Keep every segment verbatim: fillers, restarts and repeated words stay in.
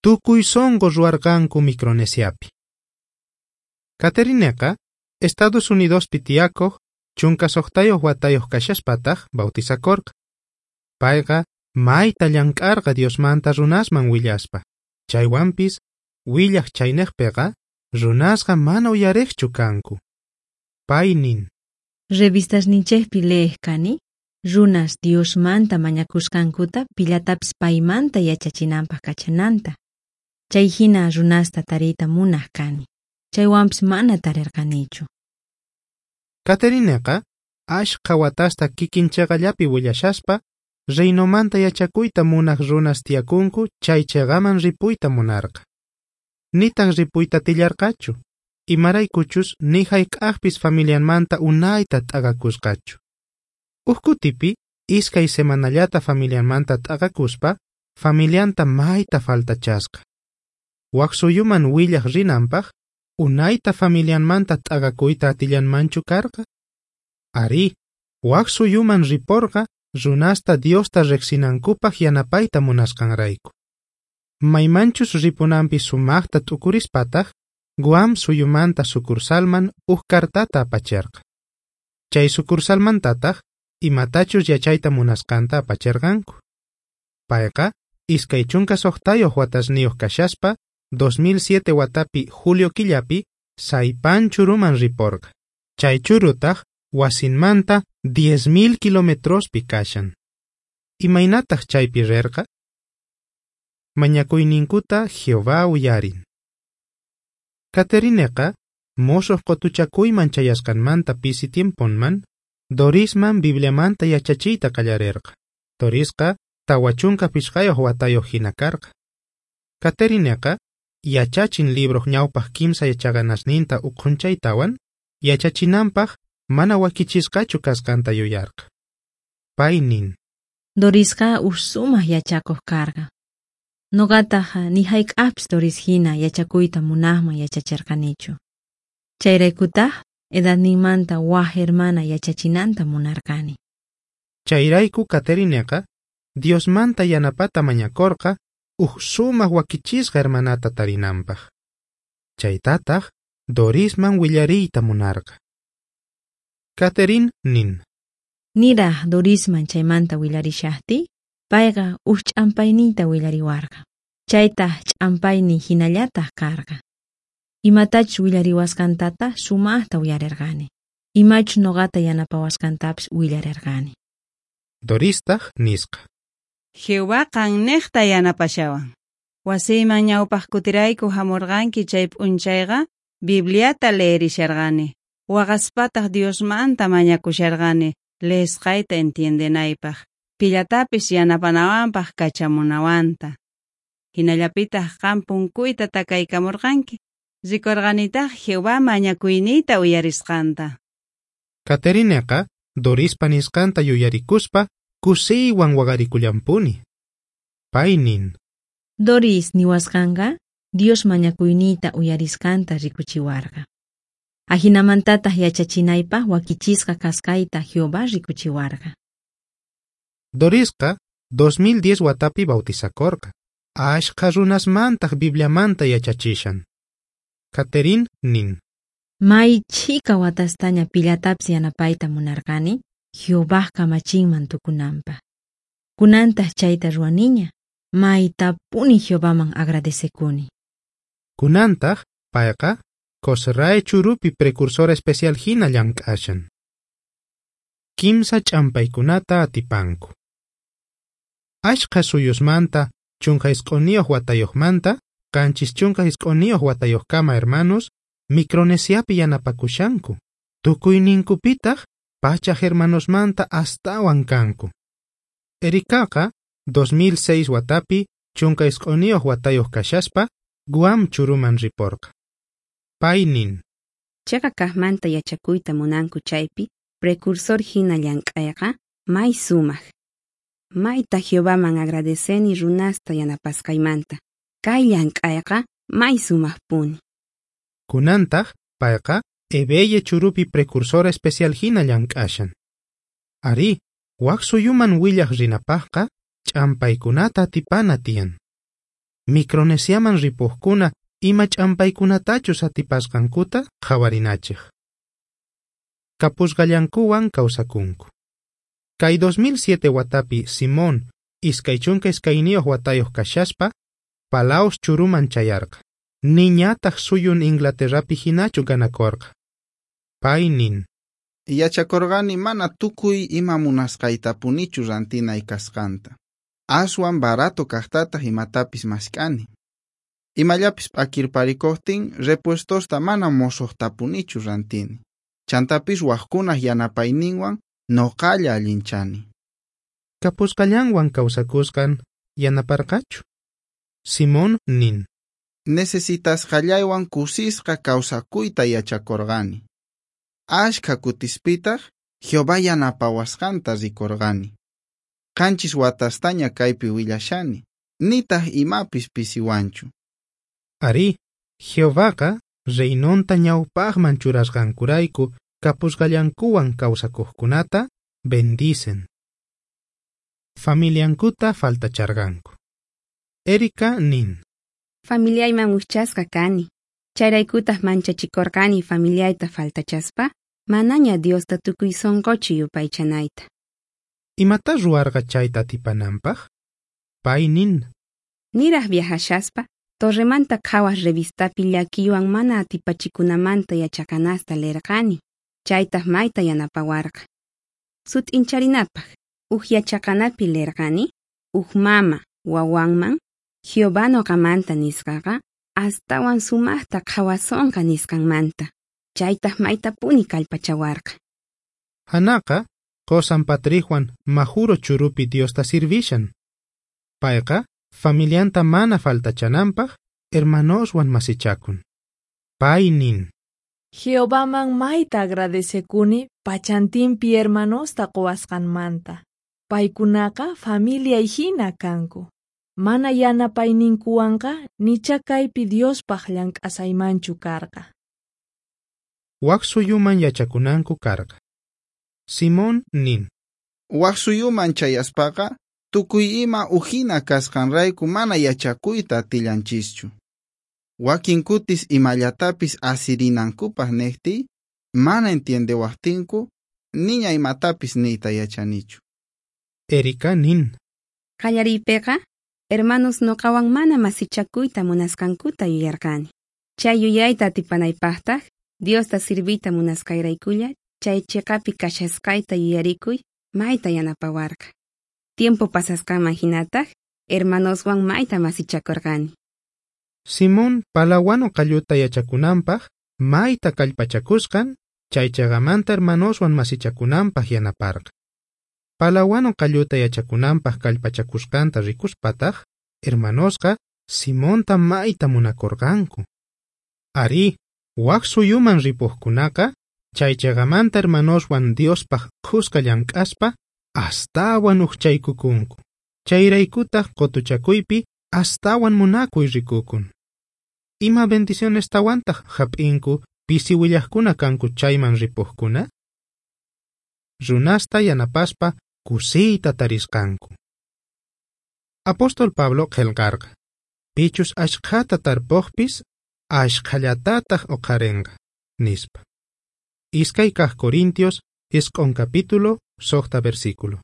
tukuy sonqo ruwarqanku Micronesiapi. Catherineqa Estados Unidospi tiyakoj chunka suqtayuq watayuq kashaspataj bautizakorqa. Payqa mayta llank'arqa Diosmanta runasman willaspa. Chaywanpis willaj chaynejpiqa runasqa mana uyariqchu kanku. Pay nin: Revistasninchejpi leej kani, runas Diosmanta mañakusqankuta pillatapis paymanta yachachinanpaj kachananta. Chay hina runasta tariyta munaj kani. Chaywanpis mana tarirqanichu. Catherineqa ashkha watasta kikin cheqallapi willashaspa reinomanta yachakuyta munaj runas tiyakunku chay cheqaman ripuyta munarqa. Nitaq ripuyta atillarqachu, imaraykuchus ni hayk'aqpis familianmanta unayta t'aqakusqachu. Uj kutipi iskay semanallata familianmanta t'aqakuspa familianta mayta faltachasqa. Wak suyuman willaj rinanpaj unayta familianmanta t'aqakuyta atillanmanchu karqa? Arí, wak suyuman riporqa runasta Diosta riqsinankupaj yanapayta munasqanrayku. Maymanchus ripunanpi sumaqta t'ukurispataj Guam suyumanta sucursalman uj cartata apacherqa. Chay sucursalmantataj imatachus yachayta munasqanta apacherqanku. Payqa iskay chunka suqtayuq watasniyuq kashaspa dos mil siete watapi julio killapi Saipan churuman riporqa. Chay churutaj wasinmanta diez mil kilometrospi kashan. Imaynataq chaypi rerqa? Mañakuyninkuta Jehová uyarin. Catherineqa mosoq qotuchakuyman chayasqanmanta pisi tiemponman Dorisman Bibliamanta yachachiyta qallarerqa. Dorisqa tawa chunka pichqayuq watayuq hina karqa. Catherineqa yachachin libroq ñawpaq kimsa yachaqanasninta uqhunchaytawan yachachinanpaq mana wakichisqachu kasqanta yuyarqa. Pay nin: Dorisqa uj sumaq yachakuq karqa. Noqataj ni hayk'aqpis Doris hina yachakuyta munaqman yachacherqanichu. Chayraykutaq edadninmanta waj hermana yachachinanta munarqani. Chayrayku Catherineqa Diosmanta yanapata mañakorqa uj sumaq wakichisqa hermanata tarinanpaj. Chaytataq Dorisman willariyta munarqa. Catherine nin: Niraj Dorisman chaymanta willarishajtiy, payqa uj ch'ampayniyta willariwarqa. Chaytaj ch'ampayniy hinallataj karqa. Imatachus willariwasqantata sumaqta uyarerqani. Imachus noqata yanapawasqantapis willarerqani. Doristaj nisqa: Jehová qannejta yanapashawan. Wasiyman ñawpaq kutirayku hamurqanki chay p'unchayqa Bibliata leerisharqani. Waqaspataq Diosmanta mañakusharqani leesqayta entiendenaypaq, pillatapis yanapanawanpaq kachamunawanta. Hinallapitaq qan punkuyta takaykamurqanki. Rikurqanitaq Jehová mañakuyniyta uyarisqanta. Catherineqa Dorispa nisqanta yuyarikuspa kusiywan waqarikullanpuni. Pay nin: Doris niwasqanqa Dios mañakuyniyta uyarisqanta rikuchiwarqa. Ajinamantataq yachachinaypaq wakichisqa kasqayta Jehová rikuchiwarqa. Dorisqa dos mil diez watapi bautizakorqa. Ashkha runasmantaq Bibliamanta yachachishan. Catherine nin: May chhika watastaña pillatapis yanapayta munarqani Jehovaj kamachinman tukunanpaq. Kunantaq chayta ruwaniña, maytapuni Jehovaman agradecekuni. Kunantaq payqa Kosrae churupi precursora especial hina llank'ashan. Kimsa ch'ampaykunata atipanku. Ashkha suyusmanta chunka isq'uniyuq watayuqmanta qanchis chunka isq'uniyuq watayuqkama hermanos Micronesiapi yanapakushanku. Tukuyninkupitaq pachaj hermanosmanta astawan kanku. Erikaqa dos mil seis watapi chunka isq'uniyuq watayuq kashaspa Guam churuman riporqa. Pay nin: Chaqa kaqmanta yachakuyta munanku chaypi precursor hina llank'ayqa may sumaq. Mayta Jehovaman agradeceni runasta yanapasqaymanta. Kay llank'ayqa may sumaqpuni. Kunantaq payqa Ebeye churupi precursora especial hina llank'ashan. Arí, wak suyuman willaj rinapaqqa ch'ampaykunata atipana tiyan. Micronesiaman ripojkuna ima ch'ampaykunatachus atipasqankuta qhawarinachej. Kapusqallankuwan kawsakunku. Kay dos mil siete watapi Simón iskay chunka iskayniyuq watayuq kashaspa Palaos churuman chayarqa. Niñataq suyun Inglaterrapi hinachu ganakorqa. Pay nin: Yachakorqani mana tukuy ima munasqaytapunichu rantinay kasqanta. Aswan barato kajtataq imatapis mask'ani. Imallapis p'akirparikuqtin repuestosta mana mosuqtapunichu rantini. Chantapis wajkunaj yanapayninwan noqalla allinchani. Kapusqallanwan kawsakusqan yanaparqachu? Simón nin: Necesitasqallaywan kusisqa kawsakuyta yachakorqani. Ashkha kutispitaq Jehová yanapawasqanta rikorqani. Qanchis watastaña kaypi willashani, nitaq imapis pisiwanchu. Arí, Jehovaqa reinonta ñawpaqman churasqankurayku kapusqallankuwan kawsakuqkunata bendicen. Familiankuta faltacharqanku. Erika nin: Familiayman ujchasqa kani. Chayraykutaq manchachikorqani familiayta faltachaspa, manaña Diosta tukuy sonqochu yupaychanayta. Imata ruwarqa chayta atipananpaq? Pay nin: Niraj viajashaspa, Torremanta Qhawaj revistapi llakiywan mana atipachikunamanta yachaqanasta leerqani. Chaytaq mayta yanapawarqa. Sut'incharinapaq, uj yachaqanapi leerqani, uj mama wawanman, Jehová noqamanta nisqaqa, astawan sumaqta qhawasonqa nisqanmanta. Chaytaq maytapuni kallpachawarqa. Hanaqa qosan Patrickwan Majuro churupi Diosta sirvishan. Payqa familianta mana faltachananpaq hermanoswan masichakun. Pay nin: Jehovaman mayta agradecekuni pachantinpi hermanosta quwasqanmanta. Paykunaqa familiay hina kanku. Mana yanapayninkuwanqa nicha kaypi Diospaq llank'asaymanchu karqa. Wak suyuman yachakunanku karqa. Simón nin: Wak suyuman chayaspaqa tukuy ima ujina kasqanrayku mana yachakuyta atillanchischu. Wakin kutis imallatapis asirinankupaq nejtiy, mana entiendewaqtinku, niña imatapis niyta yachanichu. Erika nin: Qallariypiqa, hermanos noqawan mana masichakuyta munasqankuta yuyarqani. Chay yuyayta atipanaypaqtaq, Diosta sirviyta munasqayraykulla, chay chiqapi kashasqayta yuyarikuy mayta yanapawarqa. Tiempo pasasqanman hinataq, hermanoswan mayta masichakorqani. Simón palawano qalluta yachakunanpaq mayta kallpachakusqan, chay chaqamanta hermanoswan masichakunanpaq yanaparqa. Palawano qalluta yachakunanpaq kallpachakusqanta rikuspataq, hermanosqa Simonta mayta munakorqanku. Arí, wak suyuman ripuqkunaqa, chay chaqamanta hermanoswan Diospaq khuska llank'aspa astawan ujchaykukunku. Chayraykutaq qutuchakuypi astawan munakuy rikukun. Ima bendicionestawantaq hap'inku pisi willaqkuna kanku chayman ripuqkuna? Runasta yanapaspa kusiyta tarisqanku. Apóstol Pablo qillqarqa: Pichus ashkhata tarpuqpis ashkhallatataq uqharinqa, nispa. Iskay kaq Corintios isq'un capítulo suqta versículo.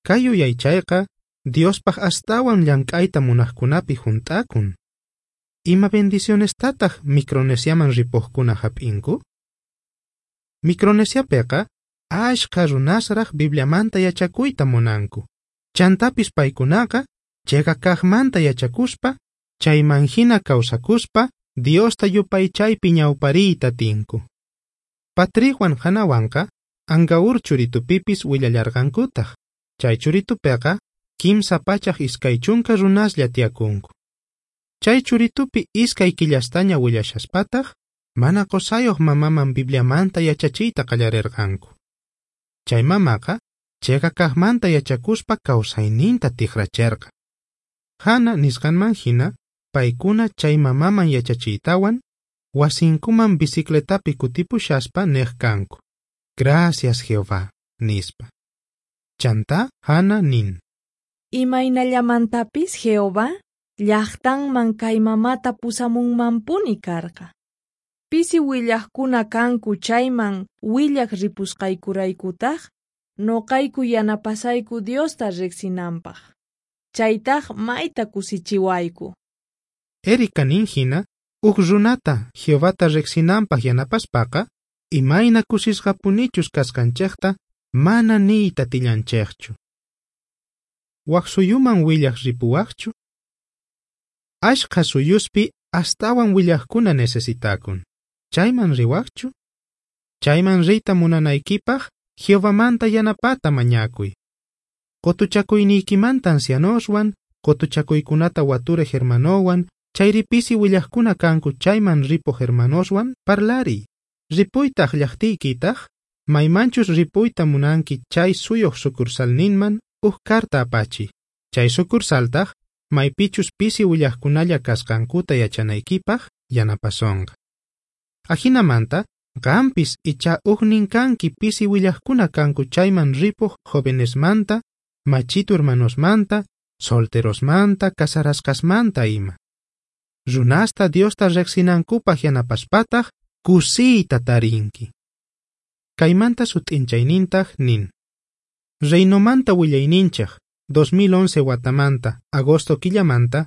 Kay yuyaychayqa Diospaq astawan llank'ayta munaqkunapi junt'akun. Ima bendicionestataq Micronesiaman ripuqkuna hap'inku? Micronesiapiqa ashkha runasraq Bibliamanta yachakuyta munanku. Chantapis paykunaqa chiqa kaqmanta yachakuspa, chayman hina kawsakuspa, Diosta yupaychaypi ñawpariyta atinku. Patrickwan Hanawanqa Angaur churitupipis willallarqankutaq. Chay churitupiqa kimsa pachaj iskay chunka runaslla tiyakunku. Chay churitupi iskay killastaña willashaspataq, mana qusayuq mamaman Bibliamanta yachachiyta qallarirqanku. Chay mamaqa chiqa kaqmanta yachakuspa kawsayninta tikracherqa. Hana nisqanman hina, paykuna chay mamaman yachachiytawan, wasinkuman bicicletapi kutipushaspa neq kanku: Gracias Jehová, nispa. Chantá Hana nin: Imaynallamantapis Jehová llajtanman kay mamata pusamunmanpuni karqa. Pisi willajkuna kanku chayman willaj ripusqaykuraykutaj, noqayku yanapasayku Diosta riqsinanpaq. Chaytaj mayta kusichiwayku. Erika nin hina, uj runata Jehovata riqsinanpaq yanapaspaqa, imayna kusisqapunichus kasqanchejta mana niyta atillanchejchu. Waj suyuman willaj ripuwajchu? Ashkha suyuspi astawan willajkuna necesitakun. Chayman riwajchu? Chayman riyta munanaykipaq Jehovamanta yanapata mañakuy. Qotuchakuyniykimanta ancianoswan, qotuchakuykunata waturej hermanowan, chayri pisi willajkuna kanku chayman ripuj hermanoswan parlariy. Ripuytaj llajtiykitaj, maymanchus ripuyta munanki chay suyuj sucursalninman uj carta apachiy. Chay sucursaltaj maypichus pisi willajkunalla kasqankuta yachanaykipaq yanapasonqa. Ajinamanta, qampis icha ujnin kanki pisi willajkuna kanku chayman ripuj jovenesmanta, machitu hermanosmanta, solterosmanta, casarasqasmanta ima. Runasta Diosta riqsinankupaq yanapaspataj kusiyta tarinki. Kaymanta sut'inchaynintaj nin. Reinomanta willayninchej dos mil once watamanta, agosto killamanta,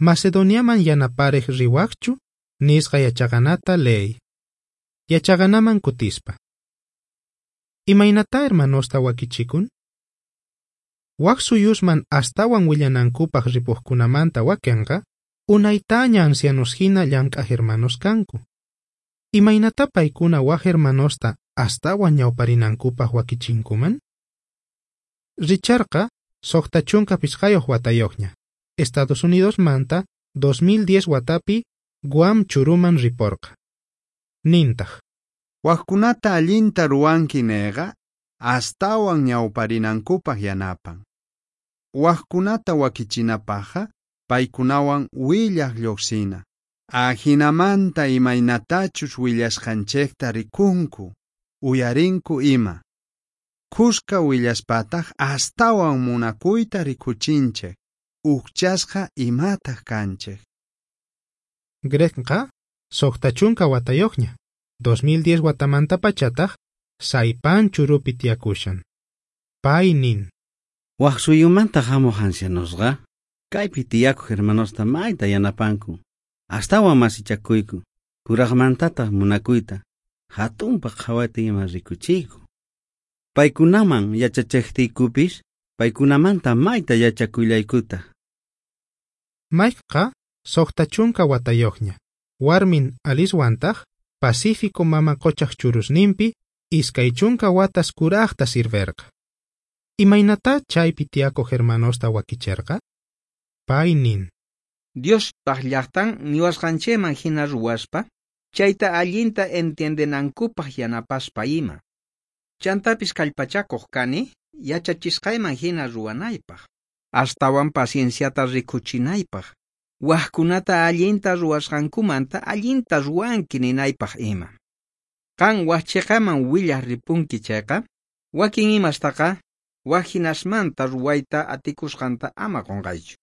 Macedoniaman yanaparej riwajchu, nisqa yachaqanata leey. Yachaqanaman kutispa. Imaynata hermanosta wakichikun? Waj suyusman astawan willanankupaq ripujkunamanta wakenqa, unaytaña ancianos hina llank'aj hermanos kanku. Imaynata paykuna waj hermanosta astawan ñawparinankupaq wakichinkuman? Richardqa suqta chunka pichqayuq watayuqña, Estados Unidos manta dos mil diez watapi Guam churuman riporqa. Nintaj. Wajkunata allinta ruwanki neyqa astawan ñawparinankupaq yanapan. Wajkunata wakichinapaqqa paykunawan willaj lluqsina. Ajinamanta imaynatachus willasqanchejta rikunku, uyarinku ima. Khuska willaspataq astawan munakuyta rikuchinchej, ujchasqa imataq kanchej. Gregqa suqta chunka watayuqña, dos mil diez watamanta pachataj Saipan churupi tiyakushan. Pay nin. Waj suyumanta hamuq ancianosqa kaypi tiyakuq hermanosta mayta yanapanku. Astawan masichakuyku, kuraqmantataq munakuyta, hatunpaq qhawayta ima rikuchiyku. Paykunaman yachachejtiykupis, paykunamanta mayta yachakullaykutaq. Mikeqa suqta chunka watayuqña, warmin Alicewantaj Pacífico mama qochaj churusninpi iskay chunka watas kurajta sirverqa. Imaynata chaypi tiyakuq hermanosta wakicherqa? Pay nin. Diospaq llaqtan niwasqanchikman hina ruwaspa, chayta allinta entiendenankupaq yanapaspa ima. Chantapis kallpachakuq kani yachachisqayman hina ruwanaypaq, astawan pacienciata rikuchinaypaq, wajkunata allinta ruwasqankumanta allinta ruwanki ninaypaq ima. Qan waj chiqaman willaj ripunki chayqa, wakin imastaqa waj hinasmanta ruwayta atikusqanta ama qunqaychu.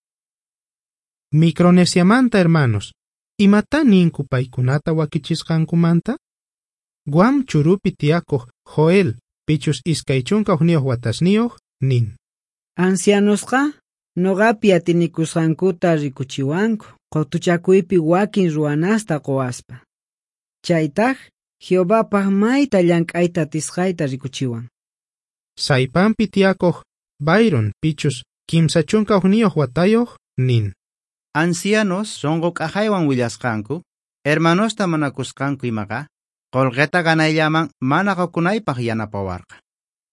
Micronesiamanta hermanos, imata ninku paykunata wakichisqankumanta? Guam churupi tiyakuq Joel, pichus iskay chunka hukniyuq watasniyuq, nin. Ancianosqa noqapi atinikusqankuta rikuchiwanku qutuchakuypi wakin ruwanasta quwaspa. Chaytaj Jehovapaq mayta llank'ayta atisqayta rikuchiwan. Saipanpi tiyakuq Byron, pichus kimsa chunka hukniyuq watayuq, nin. Ancianos sunqu k'ajaywan willasqanku, hermanosta munakusqanku imaqa, qullqita ganayllaman mana qukunaypaq yanapawarqa.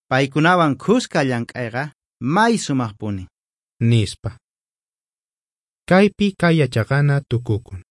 Paykunawan khuska llank'ayqa may sumaqpuni. Nispa. Kaypi kay yachaqana tukukun.